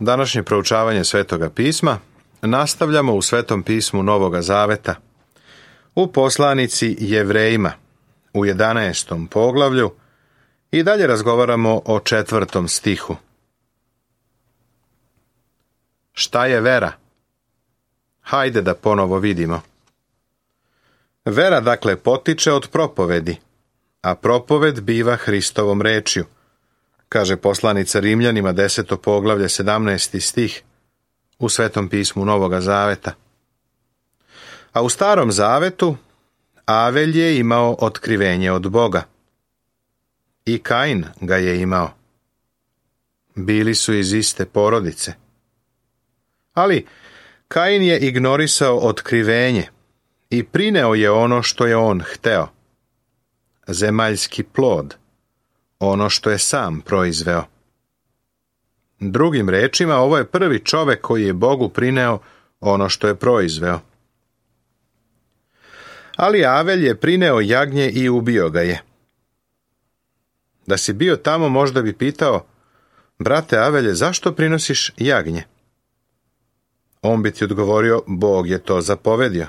Današnje proučavanje Svetoga pisma nastavljamo u Svetom pismu Novoga Zaveta, u poslanici Jevrejima, u 11. poglavlju i dalje razgovaramo o 4. stihu. Šta je vera? Hajde da ponovo vidimo. Vera dakle potiče od propovedi, a propoved biva Hristovom rečju, kaže poslanica Rimljanima 10. poglavlje 17. stih u Svetom pismu Novoga Zaveta. A u Starom Zavetu Avelj je imao otkrivenje od Boga. I Kain ga je imao. Bili su iz iste porodice. Ali Kain je ignorisao otkrivenje i prineo je ono što je on hteo. Zemaljski plod, ono što je sam proizveo. Drugim rečima, ovo je prvi čovek koji je Bogu prineo ono što je proizveo. Ali Avelj je prineo jagnje i ubio ga je. Da si bio tamo, možda bi pitao: brate Avelje, zašto prinosiš jagnje? On bi ti odgovorio: Bog je to zapovedio.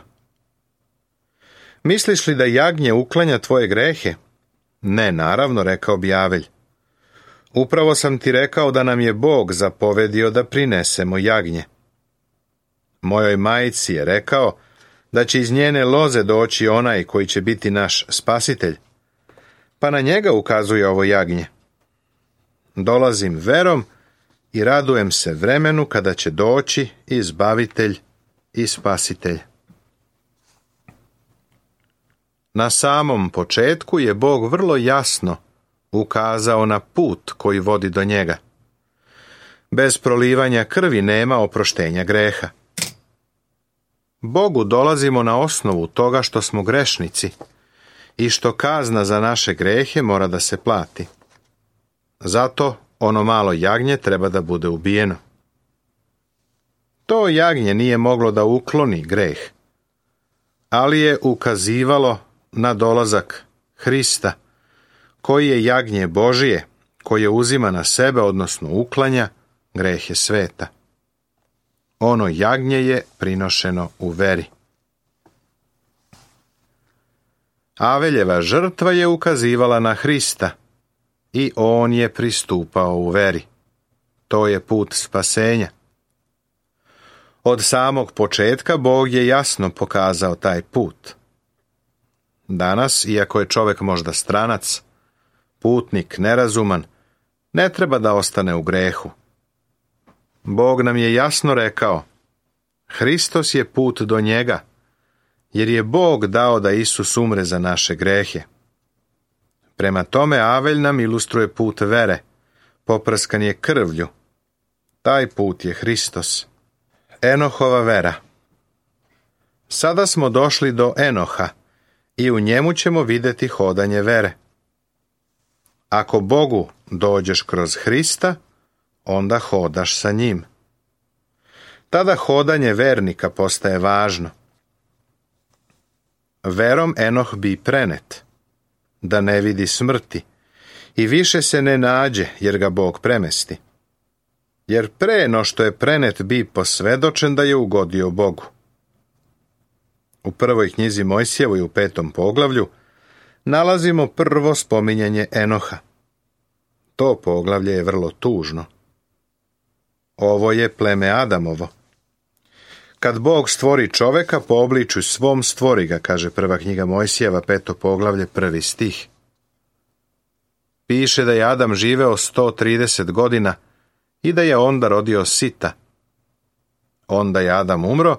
Misliš li da jagnje uklanja tvoje grehe? Ne, naravno, rekao bi Avelj. Upravo sam ti rekao da nam je Bog zapovedio da prinesemo jagnje. Mojoj majci je rekao da će iz njene loze doći onaj koji će biti naš spasitelj, pa na njega ukazuje ovo jagnje. Dolazim verom i radujem se vremenu kada će doći izbavitelj i spasitelj. Na samom početku je Bog vrlo jasno ukazao na put koji vodi do njega. Bez prolivanja krvi nema oproštenja greha. Bogu dolazimo na osnovu toga što smo grešnici i što kazna za naše grehe mora da se plati. Zato ono malo jagnje treba da bude ubijeno. To jagnje nije moglo da ukloni greh, ali je ukazivalo na dolazak Hrista, koji je jagnje Božije, koje uzima na sebe, odnosno uklanja grehe sveta. Ono jagnje je prinošeno u veri. Aveljeva žrtva je ukazivala na Hrista i on je pristupao u veri. To je put spasenja. Od samog početka Bog je jasno pokazao taj put. Danas, iako je čovjek možda stranac, putnik, nerazuman, ne treba da ostane u grehu. Bog nam je jasno rekao: Hristos je put do njega, jer je Bog dao da Isus umre za naše grehe. Prema tome Avelj nam ilustruje put vere, poprskan je krvlju. Taj put je Hristos. Enohova vera. Sada smo došli do Enoha i u njemu ćemo vidjeti hodanje vere. Ako Bogu dođeš kroz Hrista, onda hodaš sa njim. Tada hodanje vernika postaje važno. Verom Enoh bi prenet, da ne vidi smrti, i više se ne nađe, jer ga Bog premesti. Jer pre no što je prenet bi posvedočen da je ugodio Bogu. U prvoj knjizi Mojsijevoj u 5. poglavlju nalazimo prvo spominjanje Enoha. To poglavlje je vrlo tužno. Ovo je pleme Adamovo. Kad Bog stvori čoveka, po obličju svom stvori ga, kaže prva knjiga Mojsijeva, 5. poglavlje, 1. stih. Piše da je Adam živeo 130 godina i da je onda rodio Sita. Onda je Adam umro,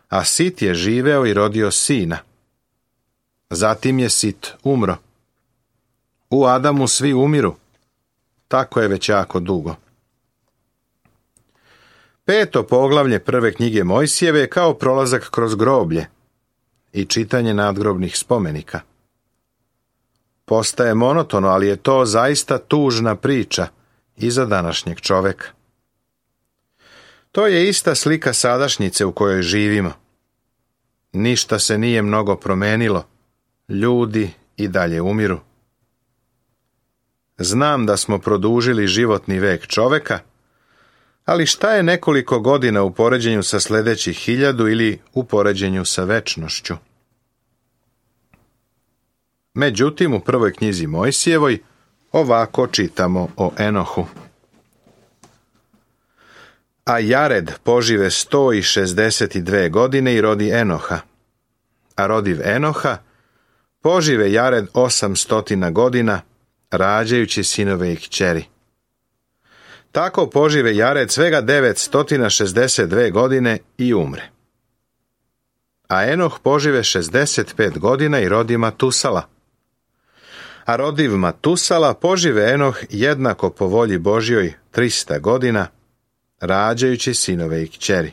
a Sit je živeo i rodio sina. Zatim je Sit umro. U Adamu svi umiru. Tako je već jako dugo. 5. poglavlje prve knjige Mojsijeve je kao prolazak kroz groblje i čitanje nadgrobnih spomenika. Postaje monotono, ali je to zaista tužna priča i za današnjeg čoveka. To je ista slika sadašnjice u kojoj živimo. Ništa se nije mnogo promenilo, ljudi i dalje umiru. Znam da smo produžili životni vek čoveka, Ali šta je nekoliko godina u poređenju sa sljedećih 1000 ili u poređenju sa večnošću? Međutim, u prvoj knjizi Mojsijevoj ovako čitamo o Enohu. A Jared požive 162 godine i rodi Enoha. A rodiv Enoha požive Jared 800 godina, rađajući sinove i kćeri. Tako požive Jared svega 962 godine i umre. A Enoh požive 65 godina i rodi Matusala. A rodiv Matusala požive Enoh jednako po volji Božjoj 300 godina, rađajući sinove i kćeri.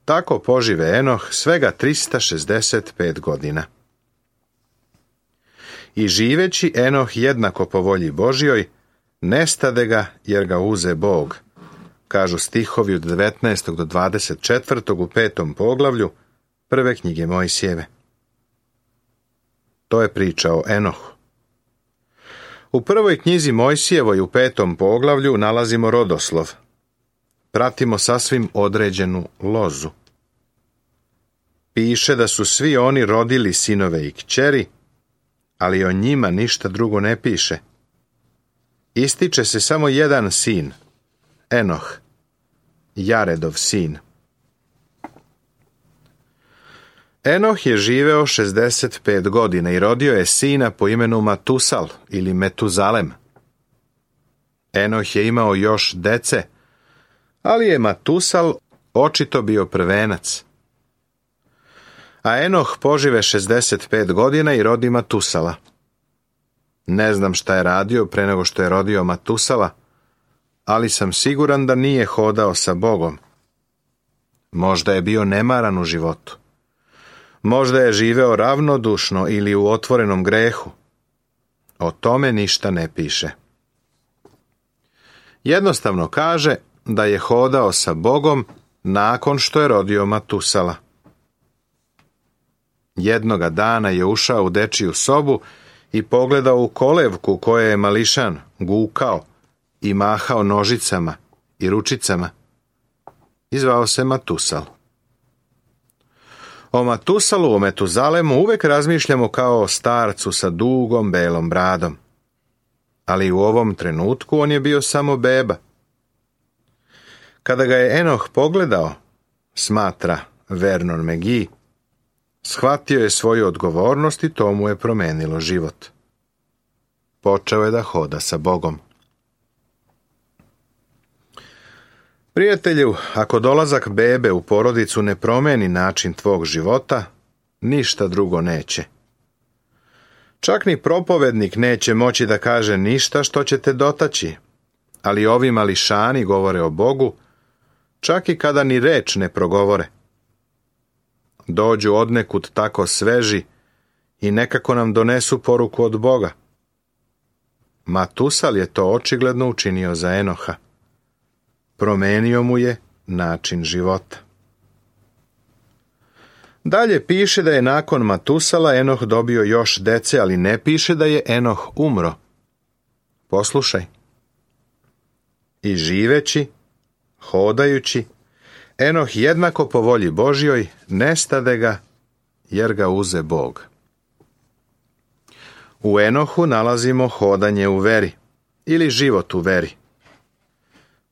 Tako požive Enoh svega 365 godina. I živeći Enoh jednako po volji Božjoj, nestade ga jer ga uze Bog, kažu stihovi od 19. do 24. u 5. poglavlju prve knjige Mojsijeve. To je priča o Enohu. U prvoj knjizi Mojsijevoj u 5. poglavlju nalazimo rodoslov. Pratimo sasvim određenu lozu. Piše da su svi oni rodili sinove i kćeri, ali o njima ništa drugo ne piše. Ističe se samo jedan sin, Enoh, Jaredov sin. Enoh je živeo 65 godina i rodio je sina po imenu Matusal ili Metuzalem. Enoh je imao još dece, ali je Matusal očito bio prvenac. A Enoh požive 65 godina i rodi Matusala. Ne znam šta je radio pre nego što je rodio Matusala, ali sam siguran da nije hodao sa Bogom. Možda je bio nemaran u životu. Možda je živeo ravnodušno ili u otvorenom grehu. O tome ništa ne piše. Jednostavno kaže da je hodao sa Bogom nakon što je rodio Matusala. Jednoga dana je ušao u dečiju sobu i pogledao u kolevku u kojoj je mališan gukao i mahao nožicama i ručicama. I zvao se Matusal. O Matusalu, o Metuzalemu uvek razmišljamo kao o starcu sa dugom belom bradom. Ali u ovom trenutku on je bio samo beba. Kada ga je Enoh pogledao, smatra Vernon McGee, shvatio je svoju odgovornost i to mu je promenilo život. Počeo je da hoda sa Bogom. Prijatelju, ako dolazak bebe u porodicu ne promeni način tvog života, ništa drugo neće. Čak ni propovednik neće moći da kaže ništa što će te dotaći, ali ovi mališani govore o Bogu, čak i kada ni reč ne progovore. Dođu odnekud tako sveži i nekako nam donesu poruku od Boga. Matusal je to očigledno učinio za Enoha. Promenio mu je način života. Dalje piše da je nakon Matusala Enoh dobio još dece, ali ne piše da je Enoh umro. Poslušaj. I živeći, hodajući, Enoh jednako po volji Božjoj nestade ga jer ga uze Bog. U Enohu nalazimo hodanje u veri ili život u veri.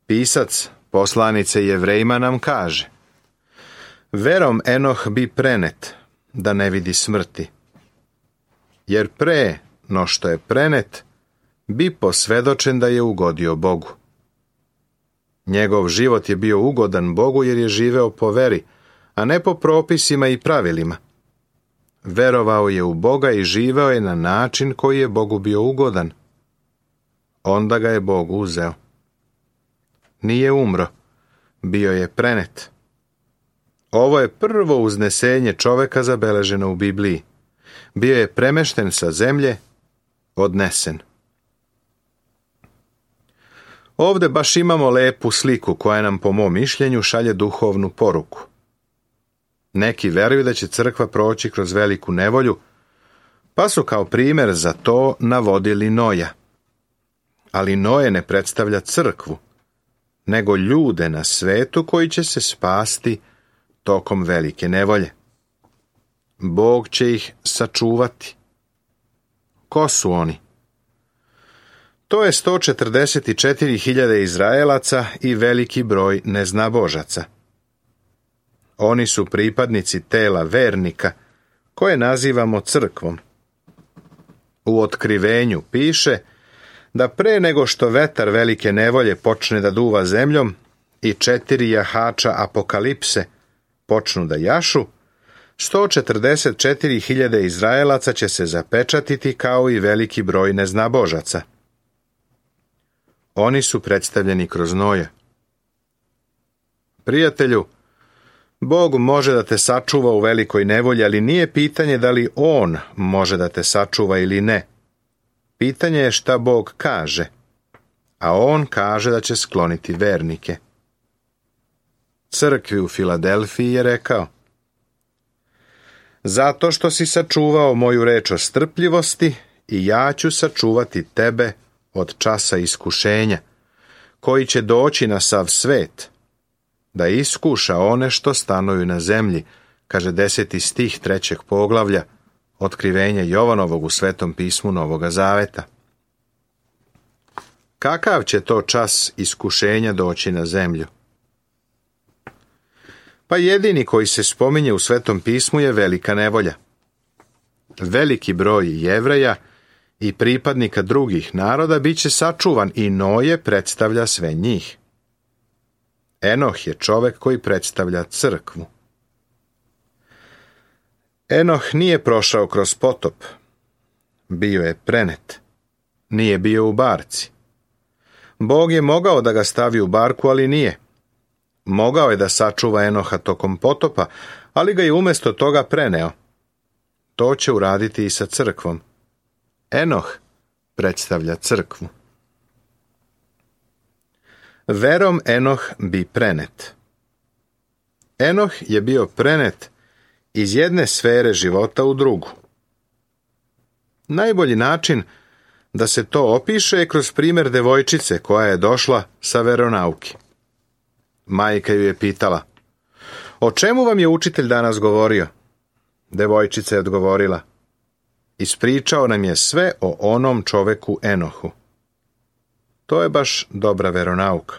Pisac poslanice Jevrejima nam kaže: verom Enoh bi prenet, da ne vidi smrti. Jer pre no što je prenet, bi posvedočen da je ugodio Bogu. Njegov život je bio ugodan Bogu jer je živeo po veri, a ne po propisima i pravilima. Verovao je u Boga i živeo je na način koji je Bogu bio ugodan. Onda ga je Bog uzeo. Nije umro, bio je prenet. Ovo je prvo uznesenje čoveka zabeleženo u Bibliji. Bio je premešten sa zemlje, odnesen. Ovde baš imamo lepu sliku koja nam po mom mišljenju šalje duhovnu poruku. Neki veruju da će crkva proći kroz veliku nevolju, pa su kao primjer za to navodili Noja. Ali Noje ne predstavlja crkvu, nego ljude na svetu koji će se spasti tokom velike nevolje. Bog će ih sačuvati. Ko su oni? To je 144.000 Izraelaca i veliki broj neznabožaca. Oni su pripadnici tela vernika, koje nazivamo crkvom. U Otkrivenju piše da pre nego što vetar velike nevolje počne da duva zemljom i 4 jahača apokalipse počnu da jašu, 144.000 Izraelaca će se zapečatiti kao i veliki broj neznabožaca. Oni su predstavljeni kroz Noja. Prijatelju, Bog može da te sačuva u velikoj nevolji, ali nije pitanje da li On može da te sačuva ili ne. Pitanje je šta Bog kaže, a On kaže da će skloniti vernike. Crkvi u Filadelfiji je rekao: zato što si sačuvao moju reč o strpljivosti, i ja ću sačuvati tebe od časa iskušenja, koji će doći na sav svet, da iskuša one što stanuju na zemlji, kaže 10. stih 3. poglavlja Otkrivenja Jovanovog u Svetom pismu Novoga Zaveta. Kakav će to čas iskušenja doći na zemlju? Pa jedini koji se spominje u Svetom pismu je velika nevolja. Veliki broj Jevreja i pripadnika drugih naroda bit će sačuvan i Noje predstavlja sve njih. Enoh je čovek koji predstavlja crkvu. Enoh nije prošao kroz potop. Bio je prenet. Nije bio u barci. Bog je mogao da ga stavi u barku, ali nije. Mogao je da sačuva Enoha tokom potopa, ali ga je umjesto toga preneo. To će uraditi i sa crkvom. Enoh predstavlja crkvu. Verom Enoh bi prenet. Enoh je bio prenet iz jedne sfere života u drugu. Najbolji način da se to opiše je kroz primjer devojčice koja je došla sa veronauke. Majka ju je pitala: o čemu vam je učitelj danas govorio? Devojčica je odgovorila: ispričao nam je sve o onom čoveku Enohu. To je baš dobra veronauka.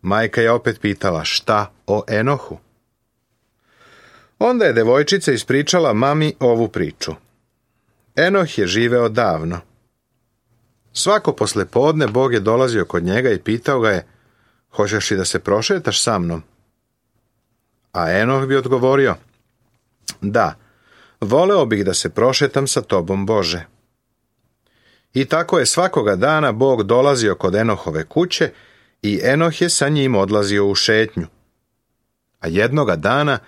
Majka je opet pitala: šta o Enohu? Onda je devojčica ispričala mami ovu priču. Enoh je živeo davno. Svako poslepodne Bog je dolazio kod njega i pitao ga je: hoćeš li da se prošetaš sa mnom? A Enoh bi odgovorio: da, voleo bih da se prošetam sa tobom, Bože. I tako je svakoga dana Bog dolazio kod Enohove kuće i Enoh je sa njim odlazio u šetnju. A jednoga dana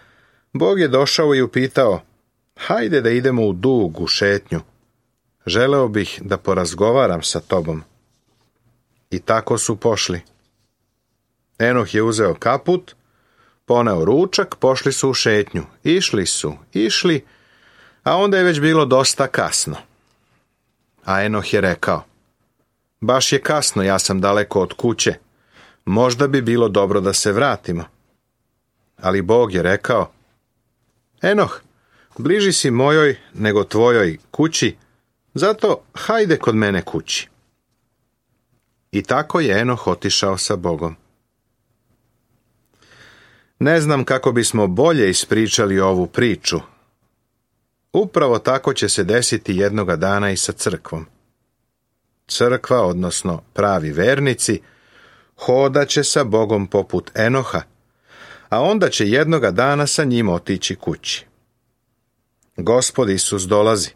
Bog je došao i upitao: hajde da idemo u dugu šetnju. Želeo bih da porazgovaram sa tobom. I tako su pošli. Enoh je uzeo kaput, poneo ručak, pošli su u šetnju. Išli, a onda je već bilo dosta kasno. A Enoh je rekao: baš je kasno, ja sam daleko od kuće. Možda bi bilo dobro da se vratimo. Ali Bog je rekao: Enoh, bliži si mojoj nego tvojoj kući, zato hajde kod mene kući. I tako je Enoh otišao sa Bogom. Ne znam kako bismo bolje ispričali ovu priču. Upravo tako će se desiti jednoga dana i sa crkvom. Crkva, odnosno pravi vernici, hodaće sa Bogom poput Enoha, a onda će jednoga dana sa njim otići kući. Gospod Isus dolazi,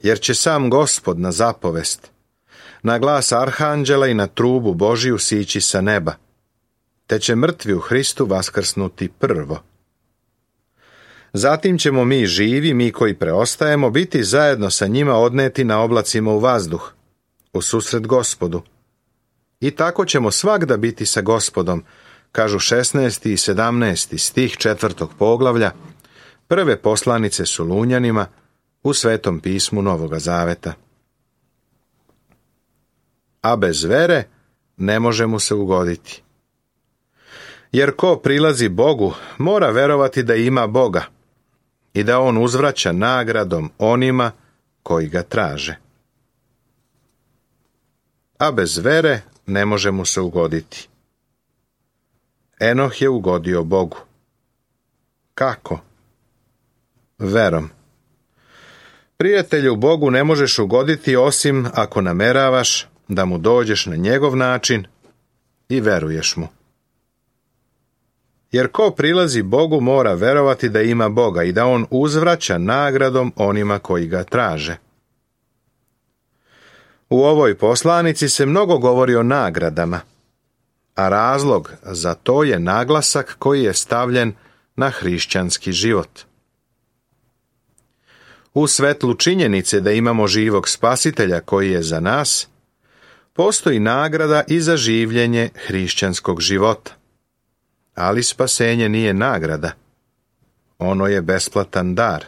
jer će sam Gospod na zapovest, na glas arhanđela i na trubu Božiju sići sa neba, te će mrtvi u Hristu vaskrsnuti prvo. Zatim ćemo mi živi, mi koji preostajemo, biti zajedno sa njima odneti na oblacima u vazduh, u susret Gospodu. I tako ćemo svagda biti sa Gospodom, kažu 16. i 17. stih 4. poglavlja prve poslanice Solunjanima u Svetom pismu Novoga Zaveta. A bez vere ne može mu se ugoditi. Jer ko prilazi Bogu, mora verovati da ima Boga i da on uzvraća nagradom onima koji ga traže. A bez vere ne može mu se ugoditi. Enoh je ugodio Bogu. Kako? Verom. Prijatelju, Bogu ne možeš ugoditi osim ako nameravaš da mu dođeš na njegov način i veruješ mu. Jer ko prilazi Bogu mora verovati da ima Boga i da on uzvraća nagradom onima koji ga traže. U ovoj poslanici se mnogo govori o nagradama, a razlog za to je naglasak koji je stavljen na hrišćanski život. U svetlu činjenice da imamo živog spasitelja koji je za nas, postoji nagrada i za življenje hrišćanskog života. Ali spasenje nije nagrada. Ono je besplatan dar.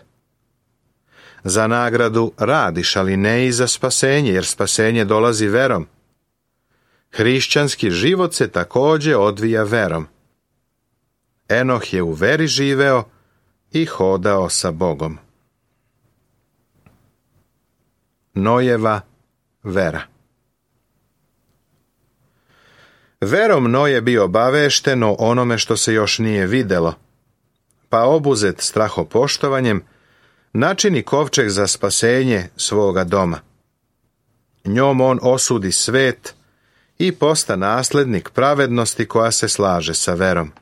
Za nagradu radiš, ali ne i za spasenje, jer spasenje dolazi verom. Hrišćanski život se također odvija verom. Enoh je u veri živeo i hodao sa Bogom. Nojeva vera. Verom Noje bio obavešten o onome što se još nije videlo, pa obuzet strahopoštovanjem načini kovčeg za spasenje svoga doma. Njom on osudi svet i posta naslednik pravednosti koja se slaže sa verom.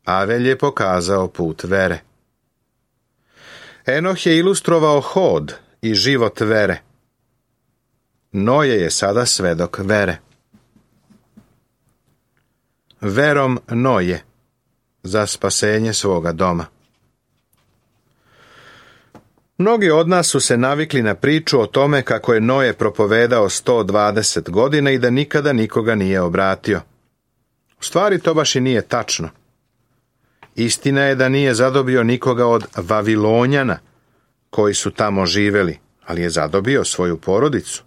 Avelj je pokazao put vere. Enoh je ilustrovao hod i život vere. Noje je sada svedok vere. Verom Noje za spasenje svoga doma. Mnogi od nas su se navikli na priču o tome kako je Noje propovedao 120 godina i da nikada nikoga nije obratio. U stvari to baš i nije tačno. Istina je da nije zadobio nikoga od Vavilonjana koji su tamo živeli, ali je zadobio svoju porodicu.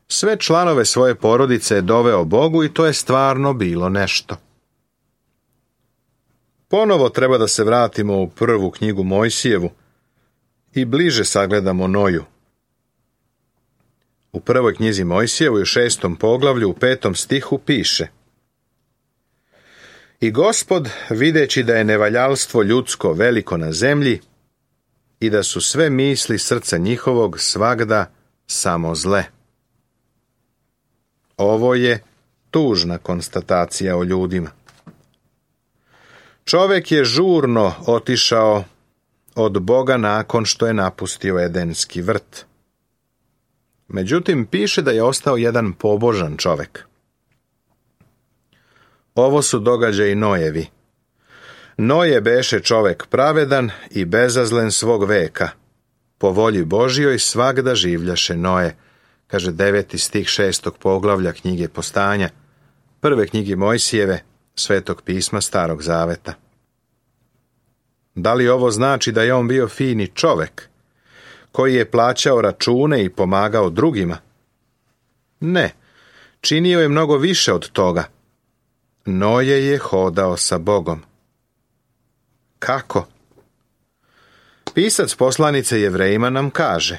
Sve članove svoje porodice je doveo Bogu i to je stvarno bilo nešto. Ponovo treba da se vratimo u prvu knjigu Mojsijevu i bliže sagledamo Noju. U prvoj knjizi Mojsijevu u 6. poglavlju u 5. stihu piše: I Gospod, videći da je nevaljalstvo ljudsko veliko na zemlji i da su sve misli srca njihovog svagda samo zle. Ovo je tužna konstatacija o ljudima. Čovjek je žurno otišao od Boga nakon što je napustio Edenski vrt. Međutim, piše da je ostao jedan pobožan čovjek. Ovo su događaji Nojevi. Noje beše čovjek pravedan i bezazlen svog veka. Po volji Božjoj svagda življaše Noje, kaže 9. stih 6. poglavlja knjige Postanja, prve knjige Mojsijeve, Svetog pisma Starog zaveta. Da li ovo znači da je on bio fini čovjek, koji je plaćao račune i pomagao drugima? Ne, činio je mnogo više od toga. Noje je hodao sa Bogom. Kako? Pisac poslanice Jevrejima nam kaže: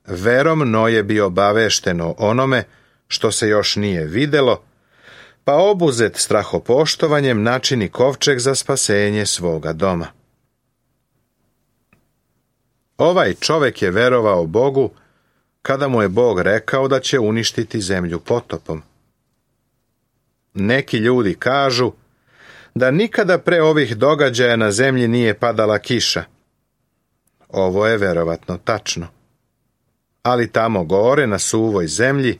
Verom Noje bio obavešten o onome što se još nije videlo, pa obuzet strahopoštovanjem načini kovčeg za spasenje svoga doma. Ovaj čovjek je verovao Bogu kada mu je Bog rekao da će uništiti zemlju potopom. Neki ljudi kažu da nikada pre ovih događaja na zemlji nije padala kiša. Ovo je verovatno tačno. Ali tamo gore na suvoj zemlji,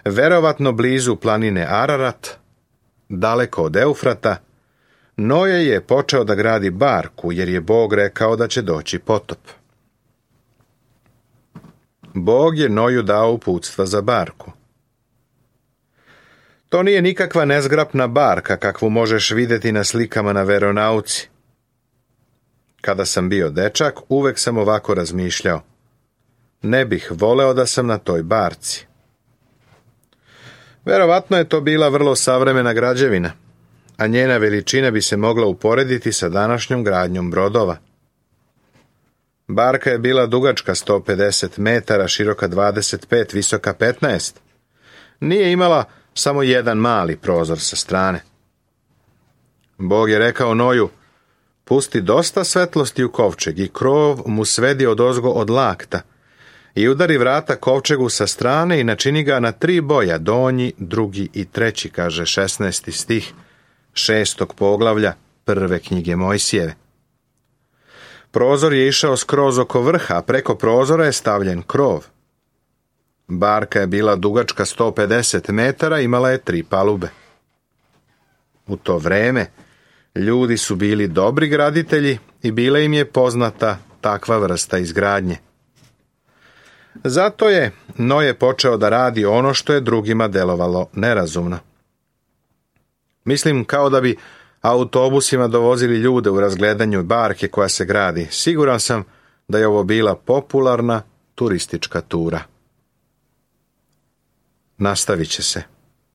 verovatno blizu planine Ararat, daleko od Eufrata, Noje je počeo da gradi barku jer je Bog rekao da će doći potop. Bog je Noju dao uputstva za barku. To nije nikakva nezgrapna barka kakvu možeš vidjeti na slikama na veronauci. Kada sam bio dečak, uvek sam ovako razmišljao: ne bih voleo da sam na toj barci. Verovatno je to bila vrlo savremena građevina, a njena veličina bi se mogla uporediti sa današnjom gradnjom brodova. Barka je bila dugačka 150 metara, široka 25, visoka 15. Nije imala samo jedan mali prozor sa strane. Bog je rekao Noju: pusti dosta svetlosti u kovčeg i krov mu svedi odozgo od lakta i udari vrata kovčegu sa strane i načini ga na 3 boja, donji, drugi i treći, kaže 16. stih 6. poglavlja 1. knjige Mojsijeve. Prozor je išao skroz oko vrha, a preko prozora je stavljen krov. Barka je bila dugačka 150 metara, imala je 3 palube. U to vreme ljudi su bili dobri graditelji i bila im je poznata takva vrsta izgradnje. Zato je Noje počeo da radi ono što je drugima delovalo nerazumno. Mislim kao da bi autobusima dovozili ljude u razgledanju barke koja se gradi. Siguran sam da je ovo bila popularna turistička tura. Nastavit će se.